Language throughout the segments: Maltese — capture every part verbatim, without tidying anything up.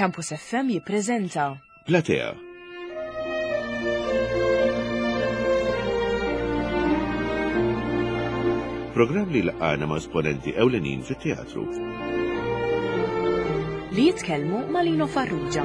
Campus F M jippreżenta Platea. Programm li laqana ma' esponenti ewlenin fit-teatru. Li jitkellmu ma' Lino Farrugia.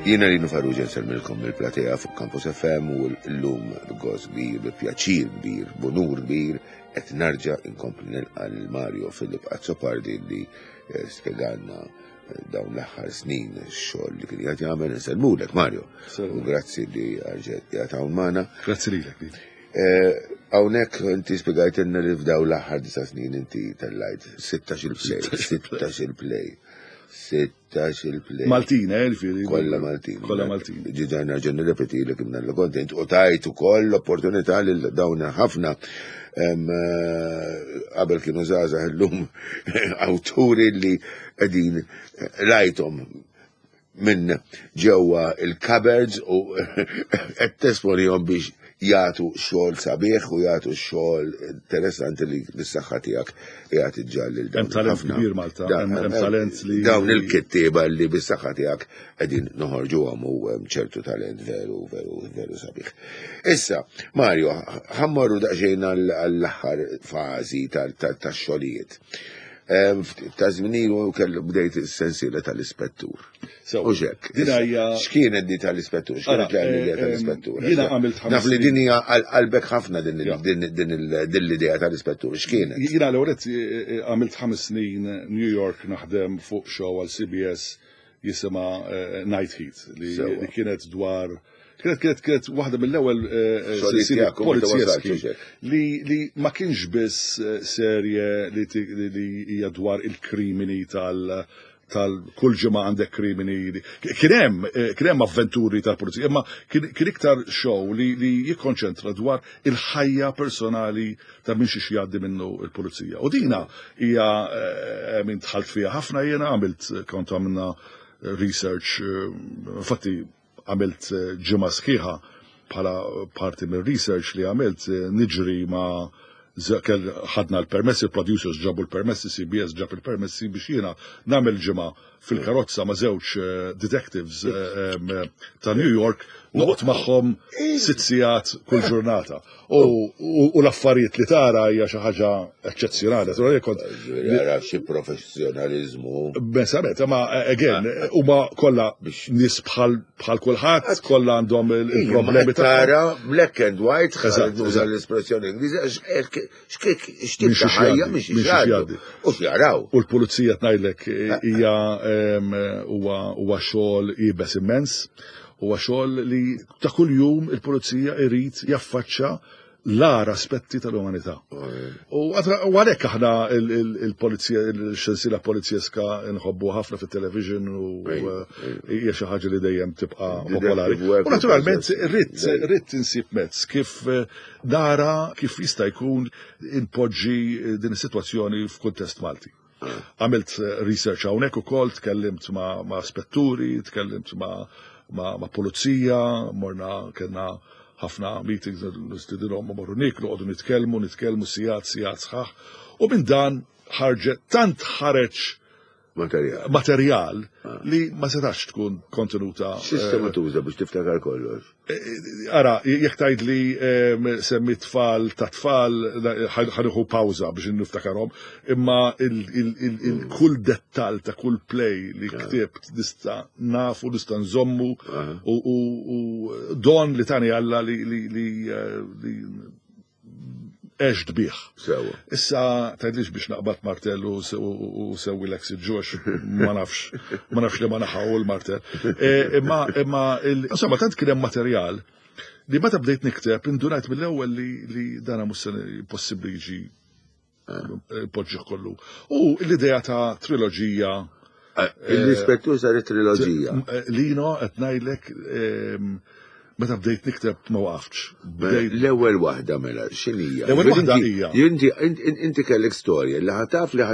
Jiena Lino Farrugia, nsellmilkom mill-Platea fuq Campus F M u l-lum b'gost kbir, b'pjaċir kbir, b'unur kbir, qed nerġa' inkompli nilqa' lil Mario Philip Azzopardi li eh, spjegalna eh, dawn l-aħħar snin x-xogħol li kien qed jagħmel. Insellmulek, Mario. U grazzi li erġajt qiegħed hawn magħna. Grazzi lilek, Lino. Eh, hawnhekk inti spjegajtilna li f'dawn l-aħħar disa' snin inti tellajt sittax il-play, sittax il-play, sittax il-play. Maltin, eh, ġifieri. Kolla Maltin. Kolla Maltin. Ġiġa nerġa' nirrepeti li kimna l-kontent u tajt ukoll l-opportunità lil dawn ħafna em, eh, qabel kienu żgħażagħ, illum awturi li qegħdin rajthom minn ġewwa il-cupboards u qed tesponihom biex jagħtu xogħol sabiħ u jagħtu xogħol interessanti li bis-saħħa tiegħek jagħti ġalli lil dawn Hemm talent ħafna. kbir Malta, Da- hemm hemm talent li dawn il-kittieba li bis-saħħa tiegħek qegħdin noħorġuhom u hemm ċertu talent veru, veru, veru sabiħ. Issa, Mario, ħa mmorru daqsxejn għall-aħħar fażi tax-xogħlijiet. Em, Ta' żmien ilu kellu bdejt is-sensiela tal-ispettur. So, U xek. Din hija X'kienet di tal-ispettur? Ara, X'kienet l-idea eh, tal-ispettur? Jiena għamilt ħames Naf li snin. din hija għal qalbek ħafna din il- Ja. din din il- din l-idea tal-ispettur. X'kienet? Jiena l-ewwel għamilt ħames snin New York naħdem fuq show għal C B S jisimha eh, Night Heat li, Sewa. li kienet dwar kienet kienet kienet waħda mill-ewwel eh, eh, Xogħlijiet silsilia tiegħek, u meta polizjeski wasalt, hekk. li, li ma kienx biss eh, serje li, ti- li, li hija dwar il-krimini tal tal kull ġimgħa għandek krimini. li- Kien hemm eh, kien hemm avventuri tal-pulizija, imma kien kien iktar show li, li jikkonċentra dwar il-ħajja personali ta' minn xiex jgħaddi minnu il-pulizija. U dina hija eh, minn dħalt fiha ħafna jiena, għamilt, kont għamilna research, eh, infatti għamilt eh, ġimgħa sħiħa bħala parti minn research li għamilt eh, niġri ma' z- kell ħadna l-permessi, il-producers ġabu l-permessi, C B S ġab il-permessi biex jiena nagħmel ġimgħa fil-karozza ma' żewġ eh, detectives eh, em, eh, ta' New York, noqgħod magħhom sitt sigħat kull ġurnata. U, u, u l-affarijiet li tara hija xi ħaġa eċċezzjonali. Naturalment kont Ġifieri ara xi professjonalizmu. Bensament, ma again, huma kollha nies bħal bħal kulħadd, kollha għandhom il- il-problemi tagħhom. Tara black and white, Eżatt, nuża eżatt. l-espressjoni Ingliża, x'tip Minn ta' xiex ħajja jgħaddi, minn xiex minn xiex jgħaddu. jgħaddi. U x'jaraw. U l-pulizija tgħidlek hija em, huwa huwa xogħol iebes immens, huwa xogħol li ta' kuljum il-pulizija irid jaffaċċa l-agħar aspetti tal-umanità. U għatra- u għalhekk aħna il- il- il-polizija, il-sensiela polizjeska nħobbu ħafna fit-television u hija xi ħaġa li dejjem tibqa' popolari. Detective work U naturalment rrid Dejjem. rrid insib mezz kif eh, nara kif jista' jkun inpoġġi eh, din is-sitwazzjoni f'kuntest Malti. Għamilt eh, research hawnhekk ukoll, tkellimt ma', ma' spetturi, tkellimt ma', ma', ma' pulizija, morna kellna ħafna meetings, nistidinhom morru nieklu, qogħdu nitkellmu, nitkellmu sigħat, sigħat sħaħ. U minn dan ħarġet, tant ħareġ Materjal. materjal li ma setax tkun kontenuta. Sistema tuża biex tiftakar kollox? Ara, jekk tgħid li em, semmi tfal ta' tfal, ħa nieħu pawża biex niftakarhom, imma il- il- il- il- kull dettal ta' kull play li ktibt nista' nafu, nista' nżommu u u- u don li tani Alla li li li eh, li għext bih. Sewa. Issa, tgħidlix biex naqbad martell u se- u u sewwi l ġox, ma nafx, ma nafx li ma naħaw il-martell. E, Imma, imma, il- insomma, tant kien hemm materjal li meta bdejt nikteb, indunajt mill-ewwel li, li dana mhux se possibbli jiġi poġġih kollu. U l-idea ta' triloġija. L-ispettur saret triloġija. Lino, qed ngħidlek, em, Meta bdejt nikteb ma waqaftx. Bdejt L-ewwel waħda mela, x'inhija? L-ewwel waħda hija. Inti inti kellek storja li ħa taf li ħa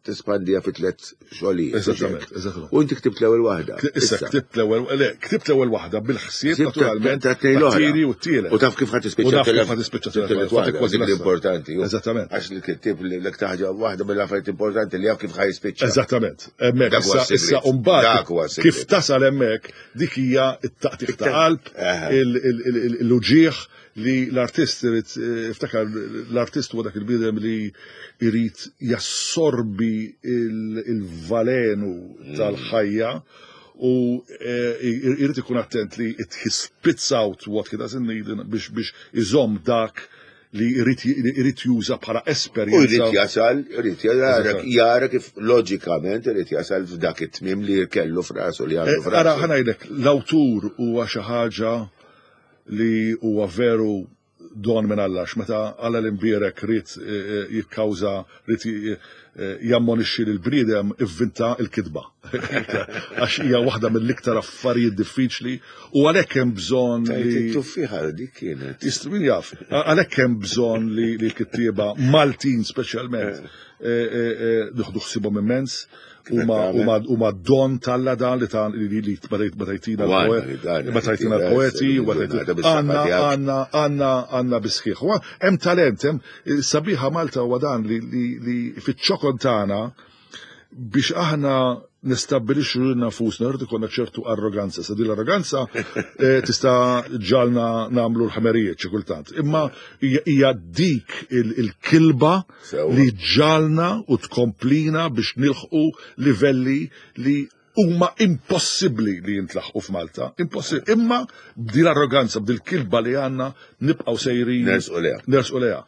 tespandija fi tliet xogħlijiet. Eżattament, eżattament. U inti ktibt l-ewwel waħda. Issa ktibt l-ewwel, le, ktibt l-ewwel waħda bil-ħsieb naturalment ta' tnejn l-oħra. tat-tieni u t-tielet. U taf kif ħa tispiċċa U naf kif t-tielet- ħa tispiċċa t-tielet t-tielet waħda, kważi dik lesta. l-importanti. ju. Eżattament. Għax li kittib li l ħaġa waħda mill-affarijiet importanti li jaf kif ħa jispiċċa. Eżattament. Hemmhekk Dak huwa issa issa s-sigriet. mbagħad Dak huwa s-sigriet. kif tasal hemmhekk dik hija t-taqtiq ta' qalb, Aha. il- il- il- l-uġieħ li l-artist irid eh, iftakar l-artist huwa dak il-bniedem li jrid jassorbi il- il-valenu tal-ħajja u eh, jrid ikun attent li it he spits out what he doesn't need biex biex iżomm dak li jrid jrid juża bħala U jrid esperjenza. jasal, jrid jara Eżatt. jara kif loġikament irid jasal f'dak it-tmiem li kellu f'rasu li għandu Eh, Ara, f'rasu. ħa ngħidlek, l-awtur huwa xi ħaġa li huwa veru don minn Alla, meta Alla l-imbierek ried eh, eh, jikkawża, ried eh, jammonixxi lil bniedem ivvinta il-kitba. Għax hija waħda mill-iktar affarijiet diffiċli u għalhekk hemm bżonn Tajt li it-tuffiħa dik kienet. Jist- min jaf, għalhekk hemm bżonn li li l-kittieba Maltin speċjalment eh, eh, eh, nieħdu ħsibhom immens huma tagħmel? huma huma don t'Alla dan li ta' li li meta jtina U għandna l-poet li dan, meta jtina li l-poeti dan, u meta ġurnata jtina- bis-saħħa għandna tiegħek. għandna għandna għandna bisħiħ. Huwa Hemm talent, hemm sabiħa Malta huwa dan li li li fiċ-ċokon tagħna biex aħna nistabbilixxu lilna nfusna rrid ikollna ċertu arroganza. Sa din l-arroganza eh, tista' ġalna nagħmlu l-ħmerijiet xi kultant. Imma hija hija dik il- il-kilba Sewwa. li ġalna u tkomplina biex nilħqu livelli li huma impossibbli li jintlaħqu f'Malta. Impossibbli. Imma b'din l-arroganza, b'dil kilba li għandna nibqgħu sejrin. Nersqu lejha. Nersqu lejha.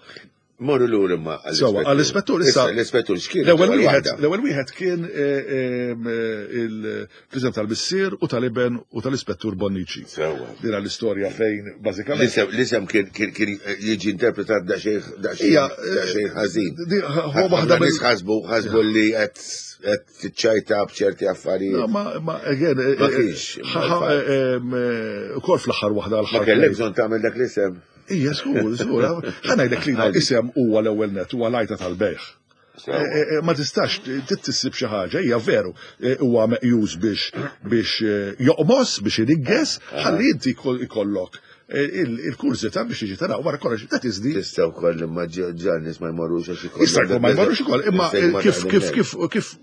Morru lura imma Sewwa, għall-ispettur issa. L-ispettur x'kien? L-ewwel wieħed, waħda. l-ewwel wieħed kien eh, eh, il-prism tal-missier u tal-iben u tal-ispettur Bonnici. Sewwa. Dina l-istorja fejn bażikament. L-isem l-isem kien kien kien jiġi interpretat daqsxejn daqsxejn Ija, daqsxejn ħażin. di- huwa waħda Ħafna nies mill- ħasbu ħasbu li qed qed tiċċajta b'ċerti No, affarijiet. ma, ma, again, eh, Ma eh, kienx, ħa- ħa- eh, em, eh, Ukoll fl-aħħar waħda Ma l-ħar. kellek bżonn tagħmel dak l-isem. Ija, żgur, żgur. Ħa ngħidlek li Ħalli. isem huwa l-ewwel net, huwa lajta tal-bejħ. Sewwa. Eh, eh, Ma tistax titissib xi ħaġa, hija veru, eh, huwa meqjus biex biex eh, joqmos, biex inigges, ħalli inti jkoll- ikollok eh, il- il-kurżità biex tiġi tara wara kollox, that is the Tista' wkoll imma ġa nies ma jmorrux għax ikollhom. Jista' jkun ma jmorrux ukoll, imma Jista' jkun ma kif kif taħdem kif kif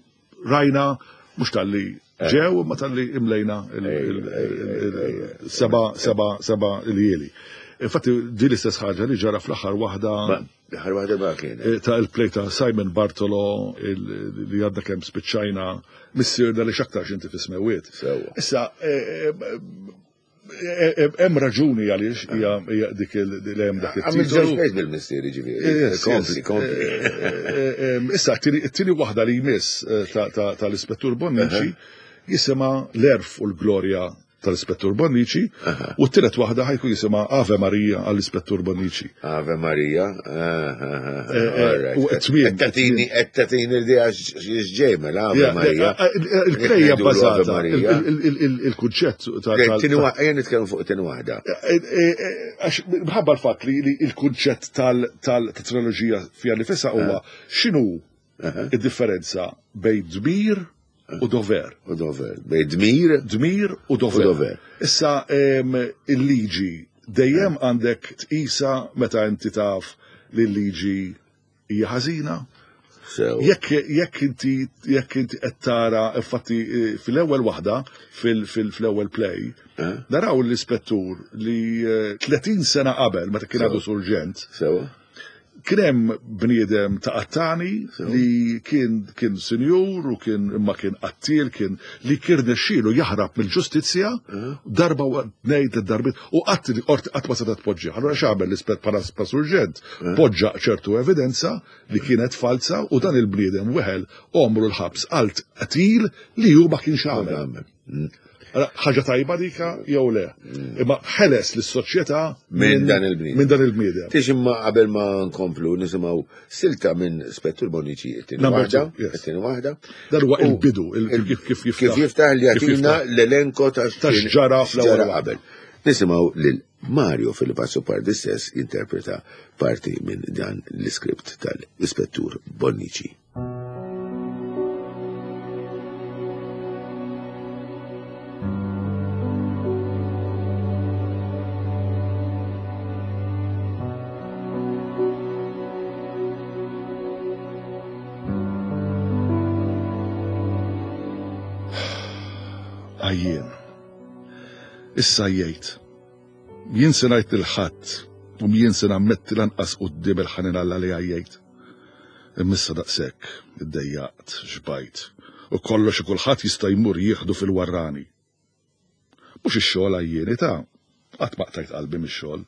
rajna mhux talli ġew imma talli imlejna il- il- il- il- seba seba seba iljieli. Infatti di l-istess ħaġa li ġara fl-aħħar waħda Ma, L-aħħar waħda ma kienet. eh, ta' il-play ta' Simon Bartolo il- li għadna kemm spiċċajna missierna li x'aktarx inti fis-smewwiet. Sewwa. Issa, eh, eh, eh, hemm raġuni għaliex hija hija dik il- li hemm dak Għamil żewġ it-titolu. plays bil-missieri ġifieri. Yes, Kompli, yes. kompli. Eh, eh, eh, Issa, t-tieni waħda li jmiss eh, ta- ta- tal-Ispettur Bonnici jisimha l-għerf u l-glorja tal-Ispettur Bonnici u t-tielet waħda ħa jkun jisimha Ave Maria għall-Ispettur Bonnici. Ave Maria. Eh, eh, u t-tmiem- Qed tagħtini l-idea x'ġej mela Ave Ja, Maria. eh, eh, Il-play hija Jekk ngħidulu Ave bbażata, Maria. il- il- il- il-kunċett ta' Eh, tal- tieni wa- Ejja nitkellmu fuq tieni waħda. Eh, eh, eh, Għax minħabba l-fatt li li il-kunċett tal-triloġija fija nifisha huwa x'inhu id-differenza bejn dmir u dover. U dover. Bejn dmir Dmir u dover. U dover. Issa em, il-liġi dejjem għandek tqisa meta inti taf li l-liġi hija ħażina. sew. Jekk jekk inti jekk inti qed tara infatti eh, fil-ewwel waħda fil- fil- fl-ewwel play Eh? naraw l-ispettur li eh, tletin sena qabel meta kien għadu surġent Sewa. kien hemm bniedem ta' qattani li kien kien sinjur u kien imma kien qattil kien li kien rnexxielu jaħrab mill-ġustizzja darba u tnejn tliet darbiet u qatt qorti qatt ma setgħet tpoġġih. Allura x'għamel l-ispett bħala surġent poġġa ċertu evidenza li kienet falsa u dan il-bniedem weħel għomru l-ħabs għal qtil li hu ma kienx għamel. Allora, ħaġa tajba dika jew le. Imma ħeles lis-soċjetà Minn dan il-bniedem. Minn dan il-bniedem. Tix imma qabel ma nkomplu nisimgħu silta minn Spettur Bonnici it-tieni Number waħda, two, yes. it-tieni waħda. Dan huwa U il-bidu, il- kif kif Kif jiftaħ li kif jagħtina jiftaħ. l-elenko ta' Ta' x'ġara fl-ewwel x'ġara waħda. qabel. Nisimgħu lil Mario Philip Azzopardi stess interpreta parti minn dan l-iskript tal-Ispettur Bonnici. Għajjien. Issa jgħid. Jien se ngħid lil ħadd u jien se nammetti lanqas quddiem il-ħanin Alla li għajjejt. Imma issa daqshekk iddejjaqt, xbajt, u kollox u kulħadd jista' jmur jieħdu fil-warrani. Mhux ix-xogħol għajjieni ta' qatt ma qtajt qalbi mix-xogħol.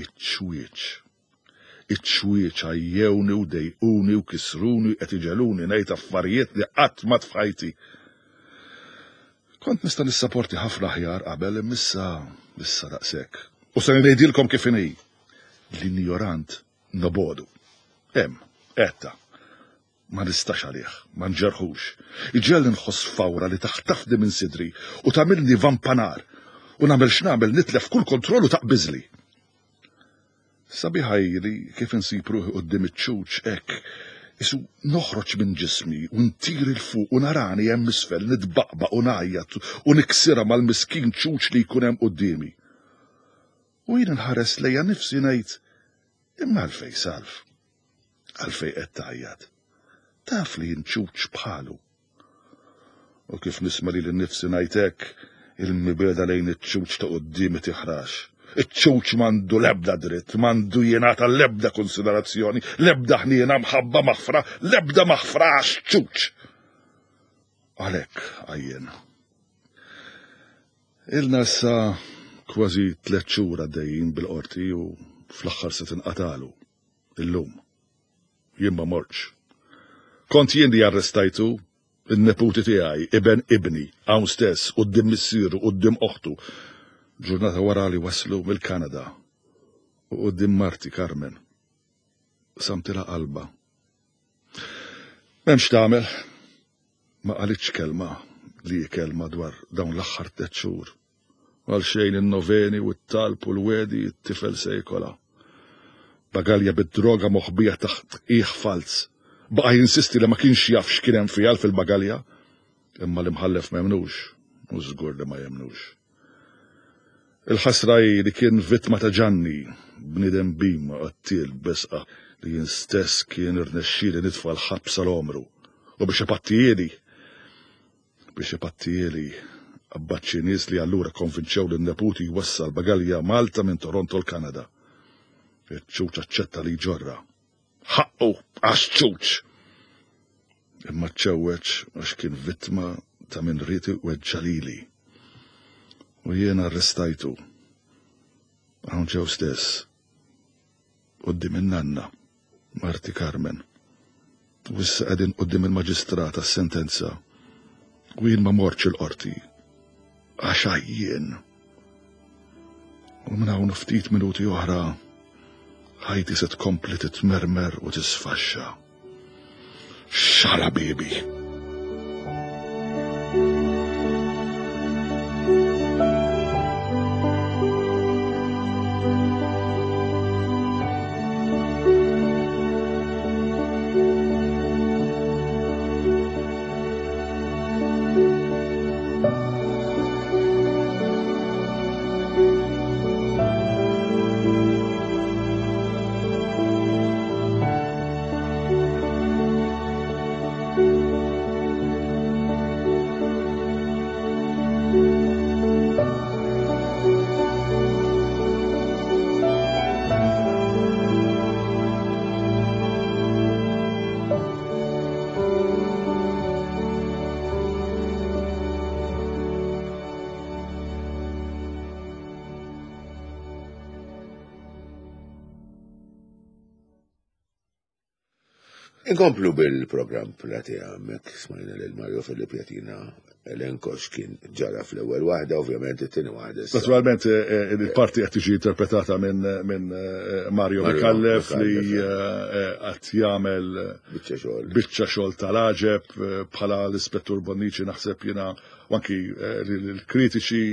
Iċ-ċwieċ. Iċ-ċwieċ għajjewni u dejquni u kisruni qed iġeluni ngħid affarijiet li qatt ma tfajti. Kont nista' nissaporti ħafna aħjar qabel imma issa issa daqshekk. U se ngħidilkom kif inhi. L-injorant nobodu. Hemm, etta. Ma nistax għalih, ma nġerħux. Iġelli nħoss fawra li taħtafni minn sidri u tagħmilni vampanar u nagħmel x'nagħmel nitlef kull kontroll u taqbiżli. Sabiħa hi li kif insib ruħi quddiem iċ-ċuċ hekk isu noħroġ minn ġismi u ntir il fuq u narani hemm isfel nitbaqbaq u ngħajjat u niksirha mal-miskin ċuċ li jkun hemm quddiemi. U jien nħares lejja nifsi ngħid imma għalfejn Salv, għalfejn qed tgħajjat. Taf li jien ċuċ bħalu. U kif nisma' lili nnifsi ngħid hekk, il-mibeda lejn iċ-ċuċ ta' quddiemi tiħrax. Iċ-ċuċ m'għandu l-ebda dritt, m'għandu jingħata l-ebda konsiderazzjoni, l-ebda ħniena mħabba maħfra, l-ebda maħfra għax ċuċ. Għalhekk għajjien. Ilna issa kważi tliet xhur għaddejjin bil-qorti u fl-aħħar se tinqatalu. Illum. Jien ma mortx. Kont jien li arrestajtu in-neputi tiegħi, iben ibni, hawn stess, quddiem missieru, quddiem oħtu. Ġurnata wara li waslu mill-Kanada u quddiem marti Carmen. Samtila qalba. M'hemmx tagħmel. Ma qalitx kelma li hi kelma dwar dawn l-aħħar tliet xhur. Għal xejn in-noveni u t-talb u l-wedi t-tifel se jkola. Bagalja bid-droga moħbija taħt qiegħ falz. Baqa' jinsisti li ma kienx jaf x'kien hemm fiha fil-bagalja. Imma l-imħallef ma jemnux, u żgur li ma jemnux. Il-ħasra hi li kien vittma ta' Ġanni, bniedem bim qattiel besqa li jien stess kien irnexxieli nitfa' l-ħabs għal għomru. U biex ipattijieli, biex ipattijieli qabbat xi nies li allura konvinċew lin-neputi jwassal bagalja Malta minn Toronto l-Kanada. Iċ-ċuċ aċċetta li jġorra. Ħaqqu għax ċuċ! Imma ċċewweġ għax kien vittma ta' min ried iweġġa' lili. U jien arrestajtu. Hawn ġew stess. Quddiem in-nanna, marti Carmen. U issa qegħdin quddiem il-maġistrat għas-sentenza. U jien ma mortx il-qorti. Għax għajjien. U minn hawn ftit minuti oħra ħajti se tkompli titmermer u tisfaxxa. Xala bibi! Inkomplu bil-programm Platea, mek smajna lil Mario Filip jagħtina elenko x'kien ġara fl-ewwel waħda, ovvjament it-tieni waħda. Naturalment eh, eh, il-parti qed tiġi interpretata minn minn eh, Mario Micallef li qed jagħmel biċċa xogħol. Biċċa xogħol tal-għaġeb bħala l-Ispettur Bonnici, naħseb jiena u anki l-kritiċi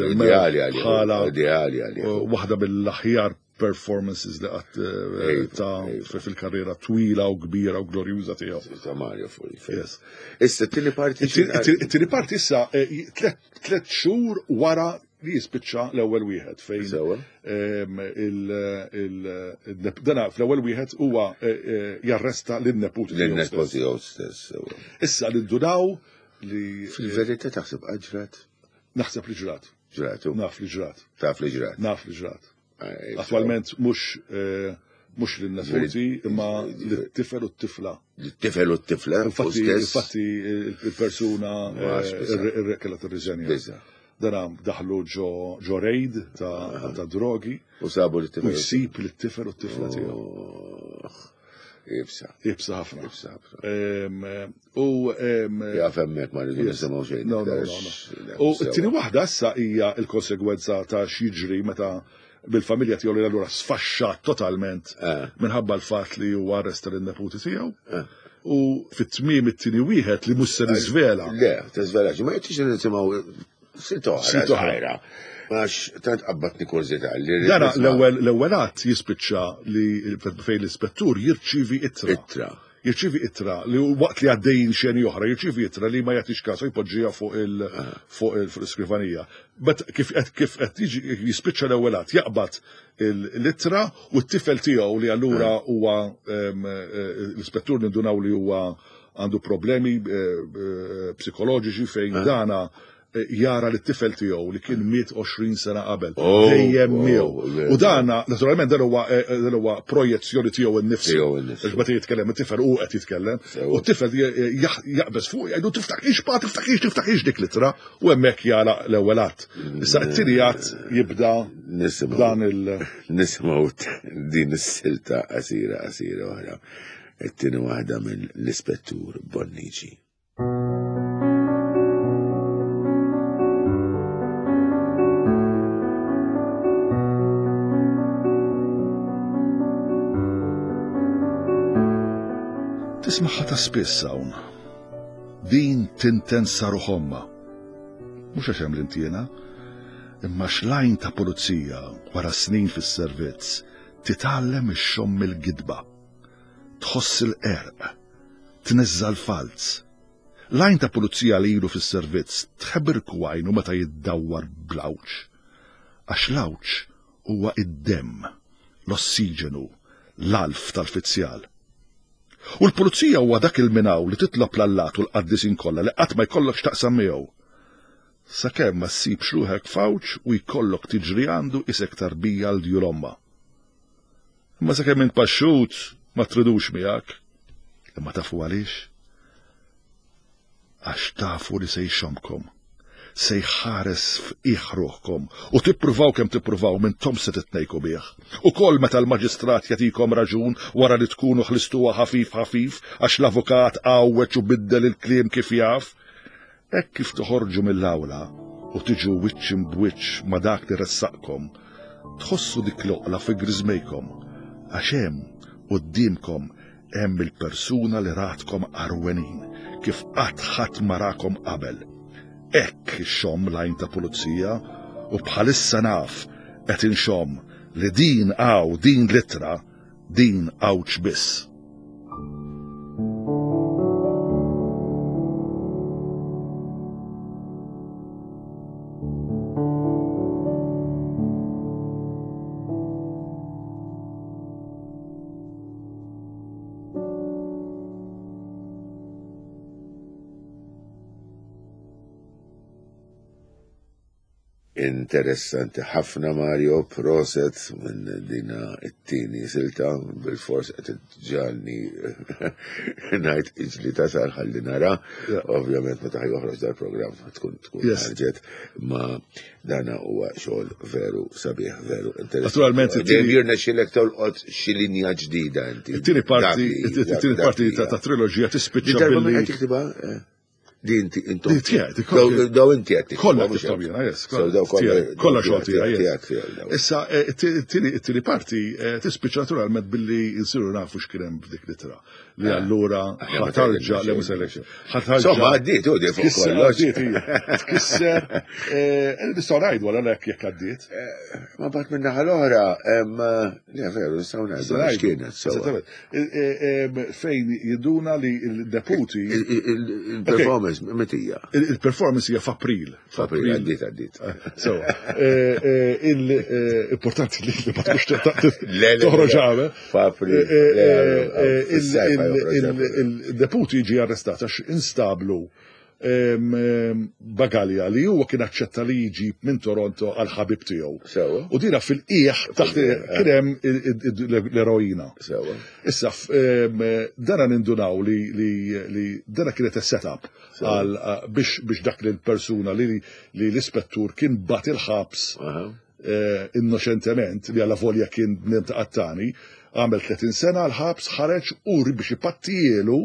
ideali bħala ideali għalih. Waħda mill-aħjar performances li qatt ta' fil-karriera twila u kbira u glorjuża tiegħu. Ta' Mario Fury. Issa t-tieni parti. It-tieni parti issa tliet xhur wara li jispiċċa l-ewwel wieħed fejn dana fl-ewwel wieħed huwa jarresta lin-neputi tiegħu. Lin-neputi tiegħu stess. Issa li ndunaw li fil-verità taħseb ġrat. Naħseb li ġrat. Ġratu. Naf li ġrat. Taf li ġrat. Naf li ġrat. Attualment mhux mhux lin-neputi imma lit-tifel u t-tifla. Lit-tifel u t-tifla. Infatti infatti il-persuna kellha tirriżenja. Dana daħlu ġo raid ta' drogi. U sabu lit-tifel. U jsib lit-tifel u t-tifla tiegħu. Ibsa. Ibsa ħafna. Ibsa ħafna. U jaf hemmhekk ma rridu nisimgħu xejn. No, no, no. U t-tieni waħda issa hija l-konsegwenza ta' x'jiġri meta bil-familja tiegħu li allura sfaxxat totalment minħabba l-fatt li huwa arresta lin-neputi tiegħu. U fit-tmiem it-tieni wieħed li mhux se niżvela. Le, tiżvelax, ma jgħidx nisimgħu silt oħra. Għax tant qabbatni kurżità li Dana l-ewwel l-ewwel att jispiċċa li fejn l-ispettur jirċievi ittra. Ittra. Jirċievi ittra li waqt li għaddejjin xeni oħra, jirċievi ittra li ma jagħtix kasu jpoġġiha fuq il fuq il-iskrivanija. Bet kif qed kif qed jiġi jispiċċa l-ewwel att jaqbad l-ittra u t-tifel tiegħu li allura huwa l-ispettur nindunaw li huwa għandu problemi psikoloġiċi fejn dana jara li t-tifel tiegħu li kien miet għoxrin sena qabel. Dejjem miegħu. U dana, naturalment, dan huwa dan huwa projezzjoni tiegħu nnifsu. Għax meta jitkellem it-tifel hu qed jitkellem. U t-tifel jaqbeż fuq jgħidu tiftaħx pa tiftaħx tiftaħx dik l-ittra u hemmhekk jagħlaq l-ewwel att. Issa t-tieni att jibda dan il nisimgħu din is-silta qasira qasira oħra. It-tieni waħda mill-Ispettur Bonnici. Tismaħħa ta' spiss hawn. Din tinten saru ħomma. Mhux għax hemm l-intiena, imma xlajn ta' pulizija wara snin fis-servizz titgħallem ixxomm il-gidba. Tħoss il-qerq, tniżża l-falz. Lajn ta' pulizija li ilu fis-servizz tħebirku għajnu meta jiddawwar bl-għawġ. Għax l-għawġ huwa id-demm, l-ossiġenu, l-alf tal-fizzjal. U l-pulizija huwa dak il-minaw li titlob l-allat u l-qaddisin kollha li qatt ma jkollok x'taqsam miegħu. Sakemm ma ssibx ruħek fawċ u jkollok tiġri għandu isek tarbija l djur omma. Imma sakemm int paxxut ma tridux miegħek. Imma tafu għaliex? Għax tafu li se jxomkom, se jħares f'iħ ruħkom u tippruvaw kemm tippruvaw minn tom se titnejku bih. Ukoll meta l-maġistrat jagħtikom raġun wara li tkunu ħlistuha ħafif ħafif għax l-avukat għawweġ u biddel il-kliem kif jaf, hekk kif toħorġu mill-awla u tiġu wiċċ imbwiċċ ma' dak li ressaqkom, tħossu dik l-oqla fi griżmejkom għax hemm quddiemkom hemm il-persuna li ratkom arwenin kif qatt ħadd ma rakom qabel. Hekk ixxomm lajn ta' pulizija u bħalissa naf qed inxomm li din għaw din l-ittra din għawċ biss. Interessanti ħafna, Mario, proset minn dina it-tieni silta, bil-fors qed ġalni ngħid iġli tasal ħalli nara. Yeah. Ovvjament meta joħroġ dal-programm tkun tkun Yes. ħarġet, ma dana huwa xogħol veru sabiħ, veru interessanti. Naturalment, it-tieni- Dejjem jirnexxielek tolqot xi linja ġdida inti. It-tieni parti, Dak li- it-tieni dak parti li- ta' ta' triloġija Di tispiċċa darba minn billi qed tiktibha? Eh, Di inti intom. Di tiegħek, di kollha- Daw daw inti qed tiktibha, Kollha mhux tiktib hekk. jiena, yes. So daw kollha tiegħi, kollha xogħol tiegħi, yes. tiegħek, tiegħek, daw. Issa, eh, it-tieni it-tieni parti eh, tispiċċa naturalment billi nsiru nafu x'kien hemm f'dik l-ittra. Li allura Aħjar ma ħa tarġa' tgħidilna le xejn. mhux ħa tarġa'. Insomma, għaddiet, u di fuq Tkisser, kollox. għaddiet, hija. Tkisser, eh, nistgħu ngħidu għal hekk jekk għaddiet. Ma bat minn naħa l-oħra, em, le veru, nistgħu ngħidu x'kienet sewwa. Esattament. Eh, eh, em, Fejn jiduna li l-deputi, Il- il- il- Il-performance metija. il- il-performance hija f'April. F'April, għaddiet, għaddiet. So, eh, eh, il-importanti li li ma tkunx Le, le, toħroġ le. għame. F'April, Eh, eh, le, eh, eh, fis-sajf il- ħa joħroġ il- April. Il-deputi ġi arrestat għax instablu em, em, bagalja li huwa kien aċċetta li jiġi minn Toronto għal ħabib tiegħu. Sewwa. U dina fil-qiegħ taħt kien hemm il- il- l-eroina. Sewwa. Issa, f- em, dana nindunaw li, li, li dana kienet setup għal a- biex, biex dak li l-persuna li, li l-ispettur kien bat il-ħabs Aha. eh, innoċentement li għalla volja kien bniem ta' qattani, għamel tletin sena l-ħabs, ħareġ u biex ipattijielu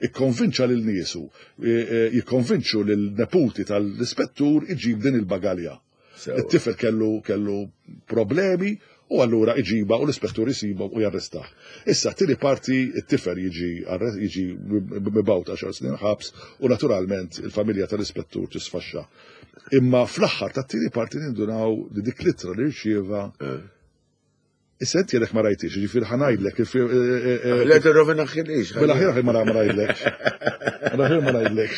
ikkonvinċa lil niesu, eh, eh, jikkonvinċu lil neputi tal-ispettur iġib din il-bagalja. Sewwa. It-tifel kellu kellu problemi u allura iġiba u l-ispettur jisibu u jarrestah. Issa, tieni parti, it-tifel jiġi arre- jiġi mibgħut għaxar snin ħabs u naturalment il-familja tal-ispettur tisfaxxa. Imma fl-aħħar tat-tieni parti nindunaw li dik l-ittra li rċieva. Issa inti għedek ma rajtix, ġifieri ħa ngħidlek. Le tirrovina xilix. Mela ħir ma ma ngħidlekx. Mela ħir ma ngħidlekx.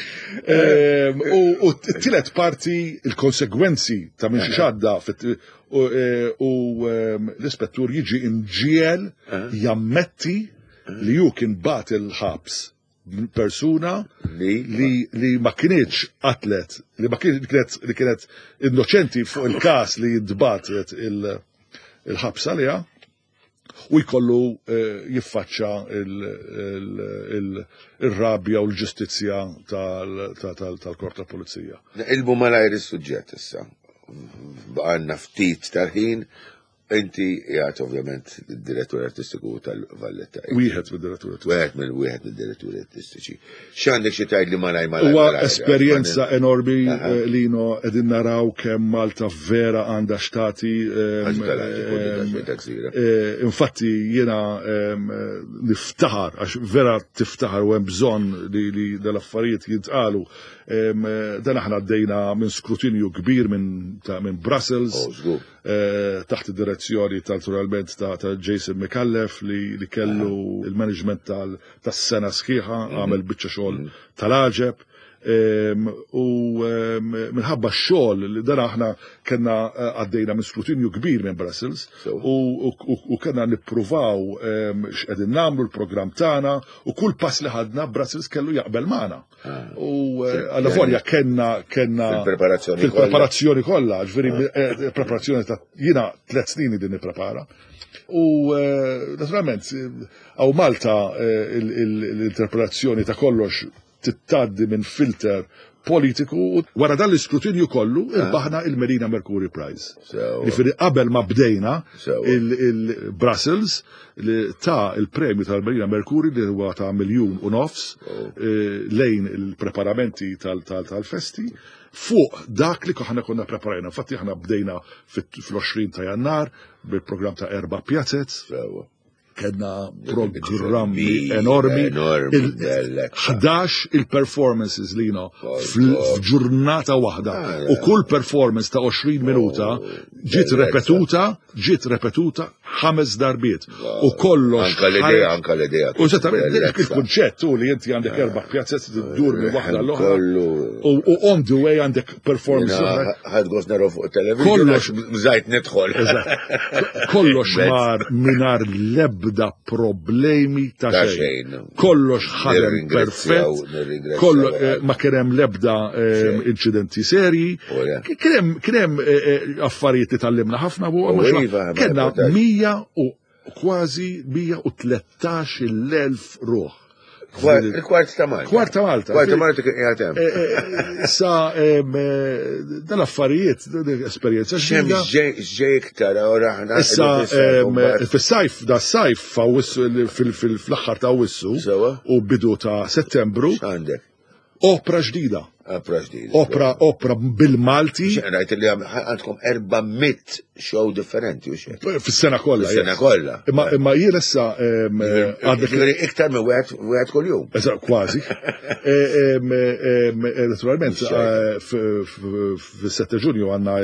Ehm, U u t-tielet parti, il-konsegwenzi ta' minn xi xadda fit- u eh, u, ehm, l-ispettur jiġi imġiel jammetti li ju kien bat il-ħabs persuna Li? li li ma kienieċ atlet, li ma kienet kienet li kienet innoċenti fuq il-kas li jintbatet il- il-ħabs għaliha u jkollu eh, jiffaċċa il- il- il- il-rabja u l-ġustizzja tal- tal- tal- tal-korp ta' pulizija. Ilbu malajr is-suġġett issa. Baqanna ftit tal-ħin, inti jgħat ovvjament id-direttur artistiku tal-Valletta. Wieħed mid-direttur. Wieħed mill wieħed mid-diretturi artistiċi. X'għandek xi tgħid li malaj malaj? Huwa malaj, esperjenza enormi, Aha. eh, Lino, qegħdin naraw kemm Malta vera għandha xtati. ehm, Għax tal-ħaġa, ehm, kulli ta' gżira. Eh, Infatti jiena ehm, eh, niftaħar, għax vera tiftaħar u hemm bżonn li, li dal-affarijiet jintqalu. Ehm, eh, Dan aħna għaddejna minn skrutinju kbir minn ta' minn Brussels. Oh, żgur. eh, taħt id-direzzjoni tal naturalment ta', ta' Jason Micallef li, li kellu il-management tal- tas-sena sħiħa, għamel biċċa xogħol tal-għaġeb. Em, U em, minħabba x-xogħol li dan aħna kellna eh, għaddejna minn skrutinju kbir minn Brussels Sewa. u, u, u, u kellna nippruvaw em, x'qegħdin nagħmlu l-programm tagħna u kull pass li ħadna Brussels kellu jaqbel magħna. U eh, alla volja kellna kellna Fil-preparazzjoni fil-preparazzjoni kollha, ġifieri eh, preparazzjoni ta' jiena tliet snin din nipprepara. U eh, naturalment għaw Malta eh, il- il- l-interpretazzjoni ta' kollox tittaddi minn filter politiku u wara dan l-iskrutinju kollu irbaħna il-Melina Mercury Prize. Sewa. Ġifieri qabel ma bdejna Sewa. il-Brussels li ta' il-premju tal-Melina Mercury li huwa ta' miljun u nofs eh, lejn il-preparamenti tal- tal- tal-festi fuq dak li aħna konna preparajna. Infatti aħna bdejna fit- fl-għoxrin ta' Jannar bil-programm ta' erba' pjazzez, Sewa. kellna programmi Kbir, enormi. enormi, Il- bellezza. ħdax il-performances li no Kollu. f'ġurnata waħda. Ah, U kull performance ta' għoxrin minuta Oh, ġiet bellezza. repetuta, ġiet repetuta ħames darbiet. U kollox. Anka l-idea, ħareġ- anka l-idea. U eżattament, Bellezza. il-kunċett u li inti għandek erba' pjazzez tiddur minn waħda l-oħra. Kollu. U u on the way għandek performance oħra. Ħad gost naraw fuq television. Kollox. Għax bżajt nidħol. Eżatt. Kollox Mezz. mar minar lebda l-ebda problemi ta' xejn. Kollox ħadem perfett, kollox ma kien hemm l-ebda inċidenti serji. Kien hemm affarijiet li tgħallimna ħafna u kellna mija u kważi mija u tlettax il-elf ruħ. Il-kwart ta' Malta. Kwart ta' Malta. Kwart ta' Malta kien qiegħed hemm. Sa dal-affarijiet, esperjenza ġdida. X'ġej iktar ora aħna. Issa fis-sajf, da sajf fl-aħħar ta' Awwissu u bidu ta' Settembru. X'għandek? Opra ġdida. Opra ġdida. Opra, opra bil-Malti. Rajt li għandkom erba' mitt show differenti u xejn. Fis-sena kollha. Fis-sena kollha. Imma imma jien issa għandek iktar minn wieħed wieħed kuljum. Eżatt, kważi. Naturalment fis-sette Ġunju għandna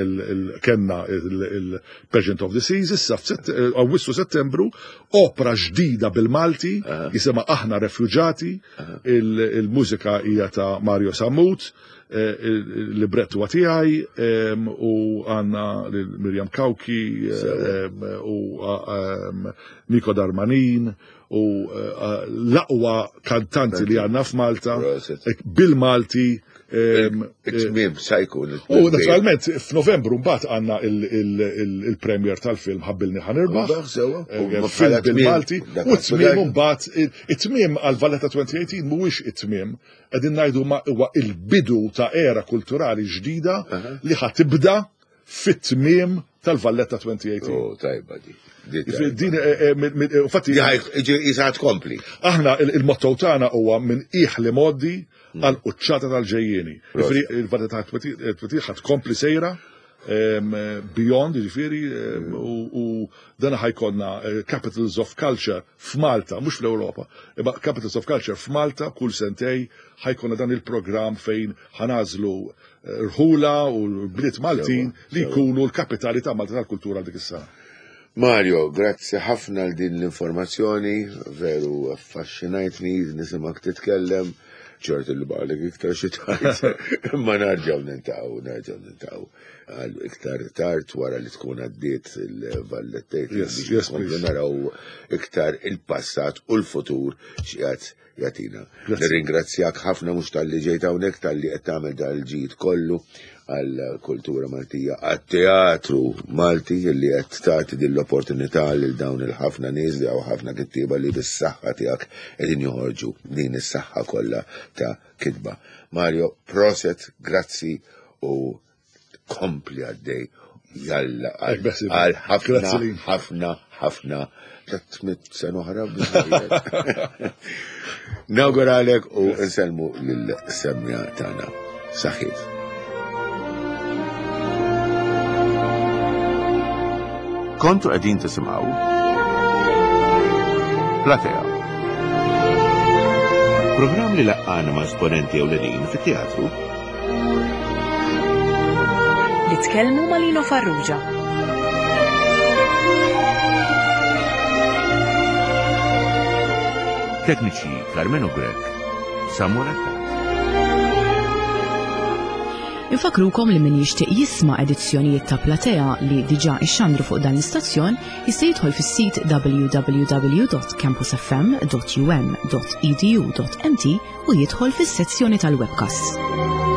kellna il-Pageant of the Seas, issa f'Awwissu Settembru opra ġdida bil-Malti jisimha Aħna Refuġati, il-mużika hija ta' Mario Sammut, il-librettu huwa tiegħi u għandna lil Mirjam Cauchi u Nico Darmanin u l-aqwa kantanti li għandna f'Malta bil-Malti. It-tmiem sa jkun. U naturalment f'Novembru mbagħad għandna il-premier tal-film Ħabbilni Ħa Nirbaħ. Film bil-Malti. U t-tmiem mbagħad it-tmiem għal Valletta twenty eighteen mhuwiex it-tmiem, qegħdin ngħidu ma huwa il-bidu ta' era kulturali ġdida li ħa tibda fit-tmiem tal-Valletta twenty eighteen. Oh, tajba di. Din, infatti, Jisa tkompli. Aħna il-motto tagħna huwa minn qiegħ li moddi għal quċċata tal-ġejjieni. Jiġifieri il-Valletta twenty ħa tkompli sejra beyond, jiġifieri, u dan ħajkonna Capitals of Culture f'Malta, mhux fl-Ewropa, imma Capitals of Culture f'Malta kull sentej ħajkonna dan il-programm fejn ħanażlu rħula u l-bliet Maltin li jkunu l-kapitali ta' Malta tal-kultura dik is-sena. Mario, grazzi ħafna għal din l-informazzjoni, veru affaxxinajtni nisimak titkellem, ċert li baqalek iktar xi tgħid, imma nerġgħu nintaqgħu, nerġgħu nintaqgħu għal iktar tard wara li tkun għaddiet il-Vallettejt Yes, biex yes, nkomplu please. naraw iktar il-passat u l-futur x'qiegħed jagħtina. Grazzi. Nirringrazzjak ħafna mhux talli ġejt hawnhekk, talli qed tagħmel dal-ġid kollu għall-kultura Maltija, għat-teatru Malti li qed tagħti din l-opportunità lil dawn il-ħafna nies li hawn ħafna kittieba li bis-saħħa tiegħek qegħdin joħorġu din is-saħħa kollha ta' kitba. Mario, proset, grazzi u kompli għaddej. Jalla, għal Ek besib. għal ħafna, Grazzi li. ħafna, ħafna, tliet mitt sena oħra biżżejjed. Nawguralek u nsellmu lill-semja tagħna. Saħħiet. Kontu qegħdin tisimgħu Platea. Programm li laqqana ma' esponenti ewlenin fit-teatru. Li tkellmu ma' Lino Farrugia. Tekniċi Carmelo Grech, Samuel Attard. Infakrukom li min jixtieq jisma' edizzjonijiet ta' Platea li diġà ixxandru fuq dan l-istazzjon jista' jidħol fis-sit w w w dot campus f m dot u m dot e d u dot m t u jidħol fis-sezzjoni tal-webcast.